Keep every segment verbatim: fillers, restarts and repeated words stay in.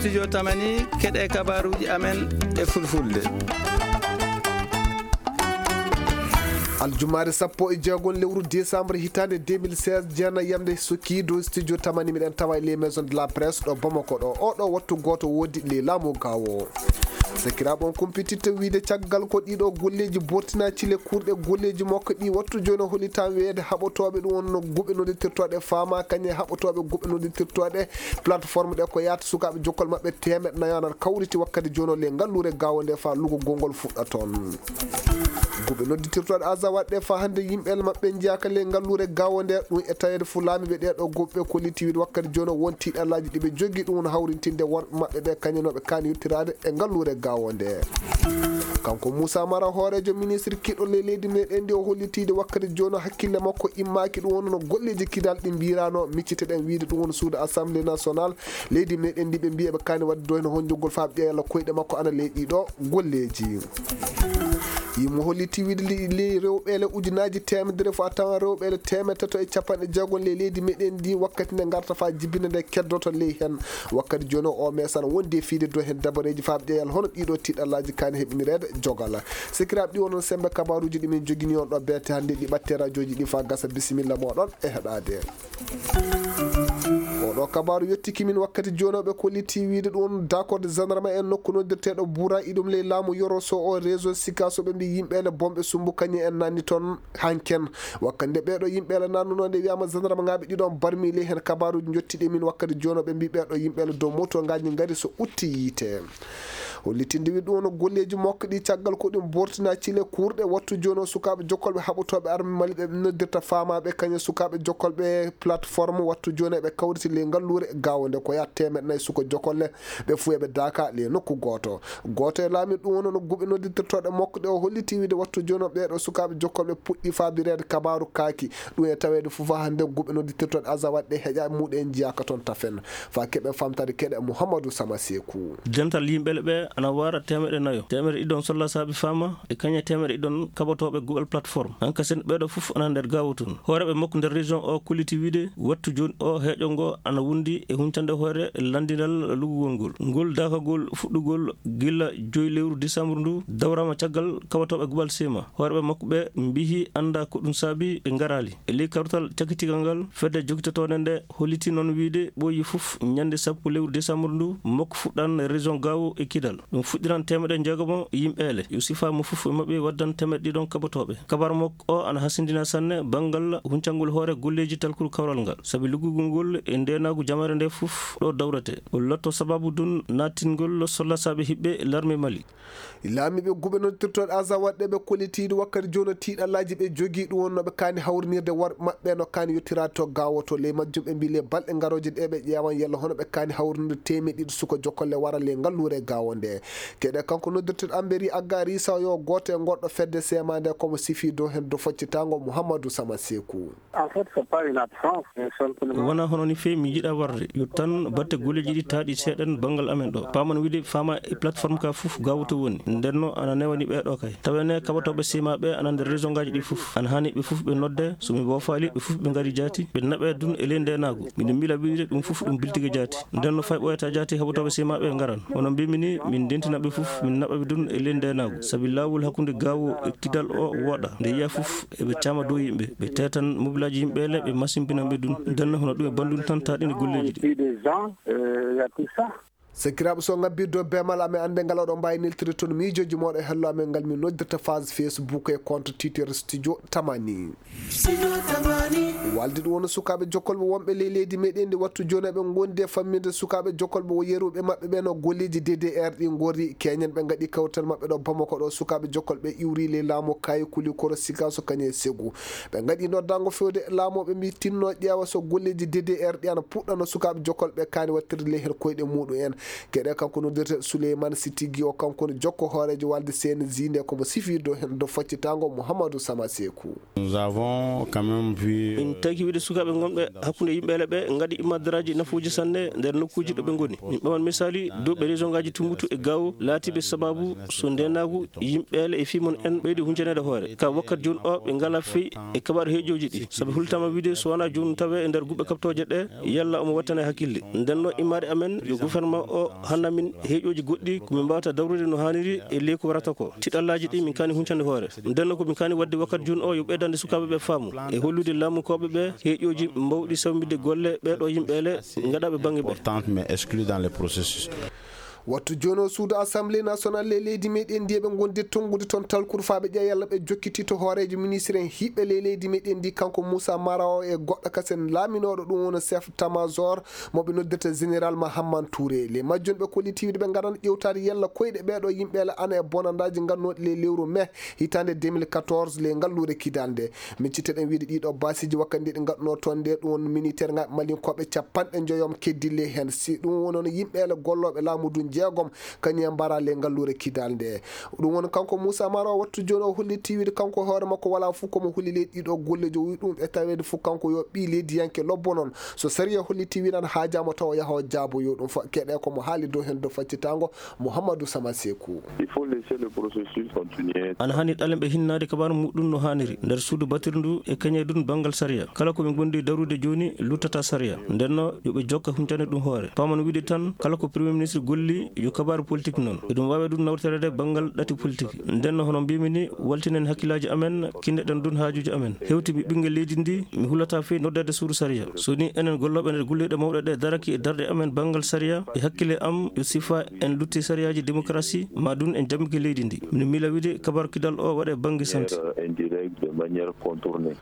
Studio Tamani, keɗe kabaruuji amen e fulfulde. Aljumaare sappo e jeegom lewru décembre hitaande deux mille seize, jeena yamde sukki dow studio Tamani, miɗen tawa e les maisons de la presse ɗo Bamako ɗo. Oɗo wattu gooto woodi le laamu gawo. Sakiraaɓe, on kumpititta wiide caggal ko ɗiɗo golleeji bortina cile kurɗe golleeji makko ɗi wattu jooni o hollitaa weede haɓotooɓe ɗum wonno guɓe noddirtirtooɗe faama kañe haɓotooɓe guɓe noddirtirtooɗe plateforme ɗe ko yaata sukaaɓe jokkol maɓɓe teemeɗɗe nayo ana kawriti wakkati jooni o le ngalluure gawo nde fa lugugol ngol fuɗɗa toon. Guɓe noddirtirtooɗe aza waɗde fa hannde yimɓe maɓɓe njiyaaka le ngalluure gawo nde ɗum e taweede fu laamiiɓe ɗee ɗo guɓe kolliti wiide wakkati jooni o won tiiɗallaaji ɗi ɓe jogii ɗum woni hawrintinde worɓe maɓɓe ɓe kañum no ɓe kaani yettiraade e ngalluure gawo nde. Kanko Moussa Mara hooreejo ministre kiɗɗo le leydi meɗen ndi o hollitiide wakkati jooni o hakkille makko immaaki ɗum wonno no golleeji kidal ɗi mbirano micciteɗen wiide ɗum woni suudu assemblée nationale leydi meɗen ndi ɓe mbiya ɓe kaani waɗde ɗo heno honjugol faaɓe ƴeewa koyɗe makko ana ley ɗiɗo golleeji. Imo holliti wiide li- ley rewɓeele ujunaaji teemedere fof a tawan rewɓeele teemeɗɗe tato e capanɗe jeegom ley leydi meɗen ndi wakkati nde ngarta fa jibinde nde keddoto ley hen. Wakkati jooni o mesana wondi e fiide dow hen dabareeji faaɓe ƴeewa hono ɗiɗo tiiɗallaaji kaani heɓinireede jogala. Sikiraaɓe, ɗi onon sembe kabaruuji ɗi min jogini on ɗo beete hannde ɗi ɓatte radiooji ɗi fa gasa, bisimilla moɗon e heɗaade. Oɗo kabaaru yettiki min wakkati jooni o ɓe kolliti wiide ɗum dakorde gendarme en nokku noddirteeɗo Bura iɗum ley laamu Yoro so o réseau Sikaso ɓe mbi yimɓeele bomɓe sumbu kañi en nanni toon hanken. Wakkati nde ɓeeɗo yimɓeele nannuno nde wiyama gendarme ngaɓe ɗiɗon barmi ley hen kabaaruji jottiɗi min wakkati jooni o ɓe mbi ɓeeɗo yimɓeele dow moto ngaji ngari so utti yiite. Hollitinde wi ɗum no golleeji makko ɗi caggal ko ɗum bortina cile kurɗe wattu jooni o sukaaɓe jokkolɓe haɓotooɓe arme Mali ɓe noddirta faamaaɓe kañum sukaaɓe jokkolɓe plateforme wattu jooni ɓe kawriti ley ngalluure gawo nde ko yaha teemeɗɗe nayi suka jokkolle ɓe fuu eɓe daaka ley nokku gooto. Gooto e laamiiɓe ɗum woni no guɓe noddirtotooɗe makko ɗe o holliti wiide wattu jooni o ɓeeɗo sukaaɓe jokkolɓe puɗɗi faabireede kabaaru kaaki. Ɗum e taweede fof hannde guɓe noddirtotooɗe aza waɗde heƴa muɗen njiyaaka toon tafen. Fa keɓe famtade keɗe Mouhamadou Sama Sekou. Dental yimɓe ɓe ana wara teemeɗɗe nayo, teemeɗɗe ɗiɗon solla saabi fama e kañe teemeɗɗe ɗiɗon kaɓotooɓe guɓal plateforme. Hanka sen ɓeeɗo fof ana nder gawo tun. Hooreɓe makko nder région o kulliti wiide wattu jooni o heeƴo ngo ana wondi e huncande hoore landinal lugugol ngol. Ngol dakagol fuɗɗugol gila joyi lewru décembre ndu dawrama caggal kaɓotooɓe guɓal sema. Hooreɓe makko ɓe mbihi anda ko ɗum saabi ɓe ngarali. E ley kawtal cakitigal ngal, fedde jogitotoonde nde holliti noon wiide ɓooyi fof ñande sappo lewru décembre ndu makko fuɗɗan région Gao e Kidal. Ɗum fuɗɗiran teemeɗɗe jeegom yimɓeele. Yo sifa mo fof e maɓɓe waddan teemeɗɗe ɗiɗon kaɓotooɓe. Kabar makko o ana hasindina sanne banngal huncangol hoore golleeji talkuru kawral ngal. Sabi luggugol ngol e ndeenaagu jamaare nde fof ɗo dawrete. O lotto sababu dun nattingol sollasaaɓe hiɓɓe larme Mali. Laamiiɓe guɓe noddirtooɗe aza waɗde ɓe kollitiiɗo wakkati jooni tiiɗallaaji ɓe jogii ɗum wonno ɓe kaani hawrinirde worɓe maɓɓe no kaani yottiraade to gawo to ley majjum ɓe mbii le balɗe ngarooje ɗe ɓe ƴeewan yalla hono ɓe kaani hawrinirde teemeɗɗe ɗiɗi suka jokkolle wara le ngalluure gawo nde. Keɗe kanko noddirteeɗo Amberi Agga Risa yo gooto e goɗɗo fedde sema nde komo sifi dow hen do foccitaango Mouhamadou Sama Sekou. En fait, c'est pas une absence, mais simplement. Wona hono ni feewi mi yiɗa warde. Yo tan batte golleeji ɗi taaɗi seeɗen banngal amen ɗo. Paaman wiide faama e plateforme ka fof gawo to woni. Nden no ana newani ɓe ɗo kay. Tawene kaɓotooɓe sima ɓe ana nder région ngaji ɗi fof. Ana hani ɓe fof ɓe nodde, so mi bofali ɓe fof ɓe ngari jaati. Ɓe naɓe dun e ley ndenagu. Miɗo mila wiide ɗum fof ɗum biltige jaati. Nden no fay ɓoyata jaati kaɓotooɓe sima ɓe ngaran. Hono mbimi ni, min dentina ɓe fof, min naɓa ɓe dun e ley ndenagu. Sabi lawol hakkunde gawo e kidal o woɗa. Nde yiya fof eɓe caama dow yimɓe, ɓe tetan mobilaji yimɓe le, ɓe masimbina ɓe dun. Nden no hono ɗum e bandun tan taɗini golleeji ɗi. Et puis des gens, euh, il y a tout ça. Sakiraaɓe, so ngabbirde o bemal amen annde ngal oɗon mbaawi neltire toon miijooji mooɗon e hello amen ngal min noddirta phase Facebook e compte Twitter Studio Tamani. Studio Tamani. Walde ɗum woni sukaaɓe jokkolɓe wonɓe ley leydi meɗen ndi wattu jooni eɓe ngondi e fammirde sukaaɓe jokkolɓe o yeruɓe maɓɓe ɓe no golleeji D D R ɗi ngorri keñen ɓe ngaɗi kawtal maɓɓe ɗo Bamako ɗo sukaaɓe jokkolɓe iwri ley laamu kayi kuli koro sikaso kañe e segu. Ɓe ngaɗi noddango fewde e laamu ɓe mbi tinno ƴeewa so golleeji D D R ɗi ana puɗɗano sukaaɓe jokkolɓe kaani wattirde ley her koyɗe muɗum en. Keɗe kanko noddirte Souleymane Sitigi o kanko woni jokko hooreejo walde C N J nde komo sifirde o hen do faccitango Mouhamadou Sama Sekou. Nous avons quand même vu, euh, min tagi wiide sukaaɓe ngonɓe hakkunde yimɓeele ɓe ngaɗi immadaraaji nafuuji sanne nder nokkuuji ɗo ɓe ngoni. Min ɓaman misali dow ɓe région ngaji Tumbutu e Gao laatiiɓe sababu so ndenagu yimɓeele e fii mon en ɓeydi huncaneede hoore. Ka wakkati jooni o ɓe ngala fii e kaɓaaru heejooji ɗi. Sabi hultama wiide so wona jooni tawe e nder guɓɓe kaɓtooje ɗe, yalla omo wattane hakkille. Nden no immaade amen yo gouvernement O hanna min heeƴooji goɗɗi ko min mbaawata dawrude no haaniri e ley ko warata ko. Tiɗallaaji ɗi min kaani huncande hoore. Nden noon ko min kaani waɗde wakkati jooni o yo ɓeydande sukaaɓe ɓe faamu e hollude laamukooɓe ɓe heeƴooji mawɗi sawmbidde golle ɓee ɗoo yimɓe ele ngaɗaaɓe bannge ɓe. Importante, mais exclue dans le processus. Wattu jooni o suudu Assemblée nationale e leydi meɗen ndi eɓe ngondi tonngude toon talkuru faa ɓe ƴeewa yalla ɓe jokkiti to hooreejo ministre en hiɓɓe ley leydi meɗen ndi, kanko Moussa Mara o e goɗɗo kasen laaminooɗo ɗum woni chef tamajor mo ɓe noddirta général Mahamman Touré. Ley majjum ɓe kolliti wiide ɓe ngaran ƴewtaade yalla koyɗe ɓee ɗoo yimɓe ele ana e bonandaaji ngannooɗi ley lewru mai hitaande deux mille quatorze ley ngalluure Kidal nde. Min cittaɗen wiide ɗii ɗoo baasiiji wakkati ndi ɗi ngaɗunoo toon nde ɗum woni militaire ŋaaɓe malinkooɓe capanɗe njoyom keddii ley heen. Si ɗum woni noon yimɓe ele gollooɓe laamu ndu jeegom kañum en mbaraa ley ngalluure Kidal nde. Ɗum woni kanko Moussa Mara o wattu jooni o holliti wiide kanko hoore makko walaa fof ko mo holi ley ɗii ɗoo golleeji o wi ɗum e taweede fof kanko yo ɓii leydiyanke lobbo noon. So sariya holliti wiide ana haajaama taw o yaha o jaabo yo ɗum fa-, keɗe ko mo haali dow heen dow faccitaango Mouhamadou Sama Sekou. Il faut laisser le processus continuer. Ana hani ɗalen ɓe hinnaade kabaaru muɗum no haaniri nder suudu batirndu e kañe ɗum banngal sariya. Kala ko ɓe ngondi darude jooni luttata sariya. Nden no yo ɓe jokka huncande ɗum hoore. Paaman wiide tan kala ko Premier Ministre golli yo kabaaru politique noon. Eɗum waawi ɗum nawtoreede banngal ɗati politique. Nden no hono mbimi ni waltinen hakkillaaji amen, kinneɗen ɗum haajuuji amen. Hewti mi ɓinngel leydi ndi, mi hulata fii noddeede suudu sariya. So ni enen gollooɓe nder golliiɗe mawɗe ɗe daraki e darɗe amen banngal sariya, e hakkille am yo sifa en lutti sariyaaji démocratie, ma ɗum en jammike leydi ndi. Mino miila wiide kabaaru Kidal o waɗe bannge santé. Erreur indirecte de manière contournée.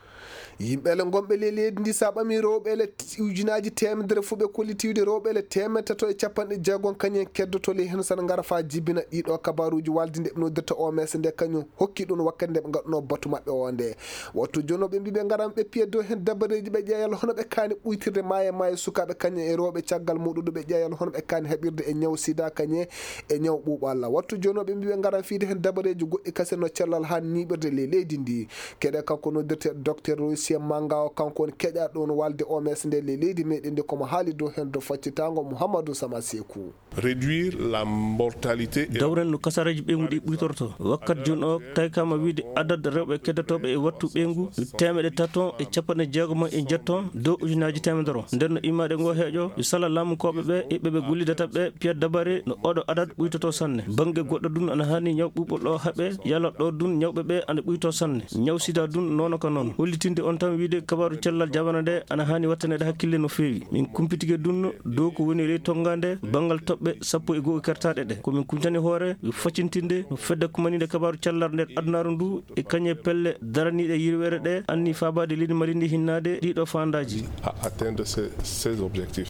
Yimɓe ele ngonɓe ley leydi ndi, sa ɓami rewɓe ele t-, ujunaaji teemedere fof ɓe kolliti wiide rewɓe ele teemedde tato e capanɗe jeegom kañum en keddoto ley heen sana ngara faa jibina ɗii ɗoo kabaaruuji walde nde ɓe noddirta O M S nde kañum hokki ɗum wakkati nde ɓe ngaɗunoo batu maɓɓe o nde. Wattu jooni o ɓe mbii ɓe ngaran ɓe piya dow heen dabareeji ɓe ƴeewa yalla hono ɓe kaani ɓuytirde maaye maaye sukaaɓe kañum e rewɓe caggal muɗum ɗo ɓe ƴeewa yalla hono ɓe kaani haɓirde e ñaw sida kañum e ñaw ɓuuɓalla. Wattu jooni o ɓe mbii ɓe ngaran fiyde heen dabareeji goɗɗi kasen no cellal haa niiɓirde ley leydi ndi. Keɗe kanko noddirte docteur Roysien Manga o, kanko woni keƴaaɗo won walde O M S nde ley leydi meɗen ndi, komo haali dow heen dow faccitaango Mouhamadou Sama Sekou. Réduire la mortalité et dawren no kasaraji ɓeyngu ɗi ɓuytorto. Wakkati jooni o taykama wiide adad rewɓe keddotooɓe e wattu ɓeyngu yo teemeɗe tato e capanɗe jeegom e njetto dow ujunaaji teemedere. Nden no immaade ngo heeƴo yo sala laamukooɓe ɓe e ɓe ɓe gollidata ɓe piya dabare no oɗo adad ɓuytoto sanne. Bannge goɗɗo ɗum ana haani ñaw ɓuuɓol o haɓe yalla ɗo ɗum ñawɓe ɓe ana ɓuyto sanne. Ñaw sida ɗum nono ka noon. Hollitinde on tan wiide kabaaru cellal jamana nde ana haani wattaneede hakkille no feewi. Min kumpitike ɗum dow ko woni ley tonngaande banngal toɓɓe sappo e goo kertaaɗe ɗe. Ko min kuntani hoore yo faccintinde no fedde kumaninde kabaaru cellal nder adunaaru ndu e kañe pelle daraniiɗe yirweere ɗe anni faabaade leydi Mali ndi hinnaade ɗii ɗoo faandaaji. À atteindre ces, ces objectifs.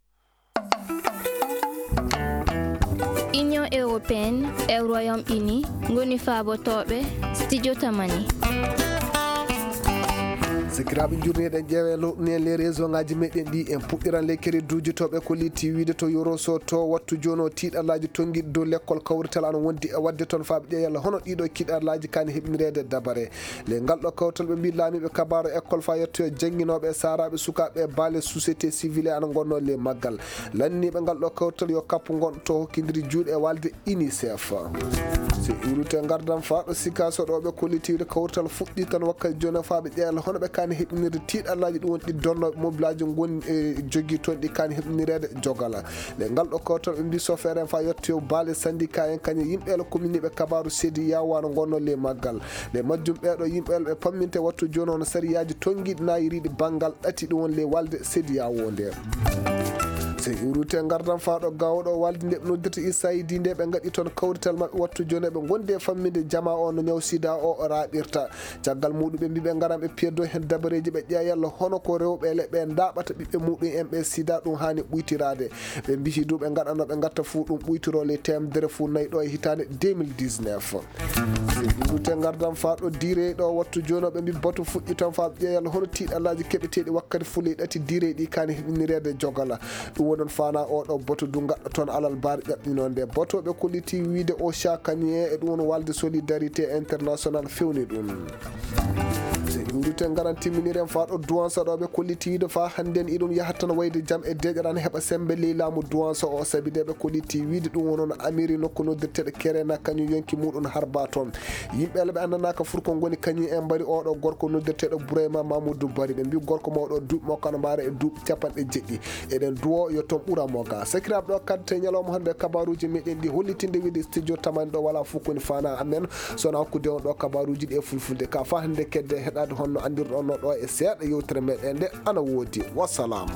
Union européenne e Royaume-Uni ngoni faabotooɓe studio Tamani. Sikiraaɓe, njurneeɗen ƴeewe lowɗini en les réseau ngaji meɗen ɗi. En puɗɗiran les crédit uji to ɓe kolliti wiide to Yoroso to wattu jooni o tiiɗallaaji tonngiiɗi dow lekkol kawrital ana wondi e waɗde toon faaɓe ƴeewa yalla hono ɗiɗo kiɗallaaji kaani heɓinireede dabare. Le ngal ɗo kawtal ɓe mbii laamiiɓe kabaaru école faa yettoyo jannginooɓe e saaraaɓe sukaaɓe e baale société civile ana ngonnoo le maggal. Lanniiɓe ngal ɗo kawtal yo kappu ngon to hokkindiri juuɗe e walde UNICEF. So iwrite ngardam faa ɗo Sikaso ɗo ɓe kollitiiɗo kawtal fuɗɗi tan wakkati jooni faa ɓe ƴeela hono ɓe kaani heɓinirde tiiɗallaaji ɗum woni ɗi donnooɓe mobilaaji ngoni e jogii toon ɗi kaani heɓinireede jogala. Le ngal ɗo kawtal ɓe mbii sofeer en faa yettoyo baale syndicat en kañum yimɓe ele commune ɓe kabaaru seedi yawaano ngonnoo le maggal. Nde majjum ɓeeɗo yimɓe ɓe pamminte wattu jooni hono sariyaaji tonngiiɗi naayiriiɗi banngal ɗati ɗum woni ley walde sediyawo nde. So iwrite ngardam faa ɗo gawɗo walde nde ɓe noddirta USAID nde ɓe ngaɗi toon kawrital maɓɓe wattu jooni ɓe ngondi e famminde jama o no ñaw sida o raaɓirta. Caggal muɗum ɓe mbii ɓe ngaran ɓe piyaddo heen dabareeji ɓe ƴeewa yalla hono ko rewɓe ele ɓe ndaaɓata ɓiɓɓe muɗum en ɓe sida ɗum haani ɓuytiraade. Ɓe mbihi du ɓe ngaɗano ɓe ngatta fuu ɗum ɓuytiro ley teemedere fuu nayi ɗo e hitaande deux mille dix-neuf. Rute ngardam faa ɗo diire ɗo wattu jooni o ɓe mbi batu fuɗɗi tan faa ƴeewal hono tiiɗalaaji keɓeteeɗi wakkati fuley ɗati diire ɗi kaani heɓinireede jogala. Ɗum woni on faana o ɗo batu du ngaɗɗo toon alal baari ƴaɓɓinoo nde. Batu ɓe kolliti wiide o cakaniye e ɗum woni walde solidarité international fewni ɗum. Yurite ngaran timminiren faa ɗo duwansa ɗo ɓe kolliti wiide faa hannden iɗum yahat tan wayde jam e deeƴaran heɓa sembe ley laamu duwansa o, sabi de ɓe kolliti wiide ɗum wono no amiri nokku noddirteeɗo Kerena kañum yonki muɗum harba toon. Yimɓe ala ɓe anndanaka fur ko ngoni kañum en mbari oɗo gorko noddirteeɗo Burayma Mamoudou Bari, ɓe mbi gorko mawɗo duuɓi makko ana mbaara e duuɓi capanɗe jeɗɗi. Eɗen duwo yo toon ɓura mo ga. Sakiraaɓe, ɗo kadde ñalawma hannde kabaruuji meɗen ɗi hollitinde wiide studio tamani ɗo wala fof koni fana amen. Sona hakkude on ɗo kabaruuji ɗi e fulfulde ka fa hannde kedde heɗade honno anndirɗon no ɗo e seeɗa yewtere meɗen nde ana woodi. Wassalam.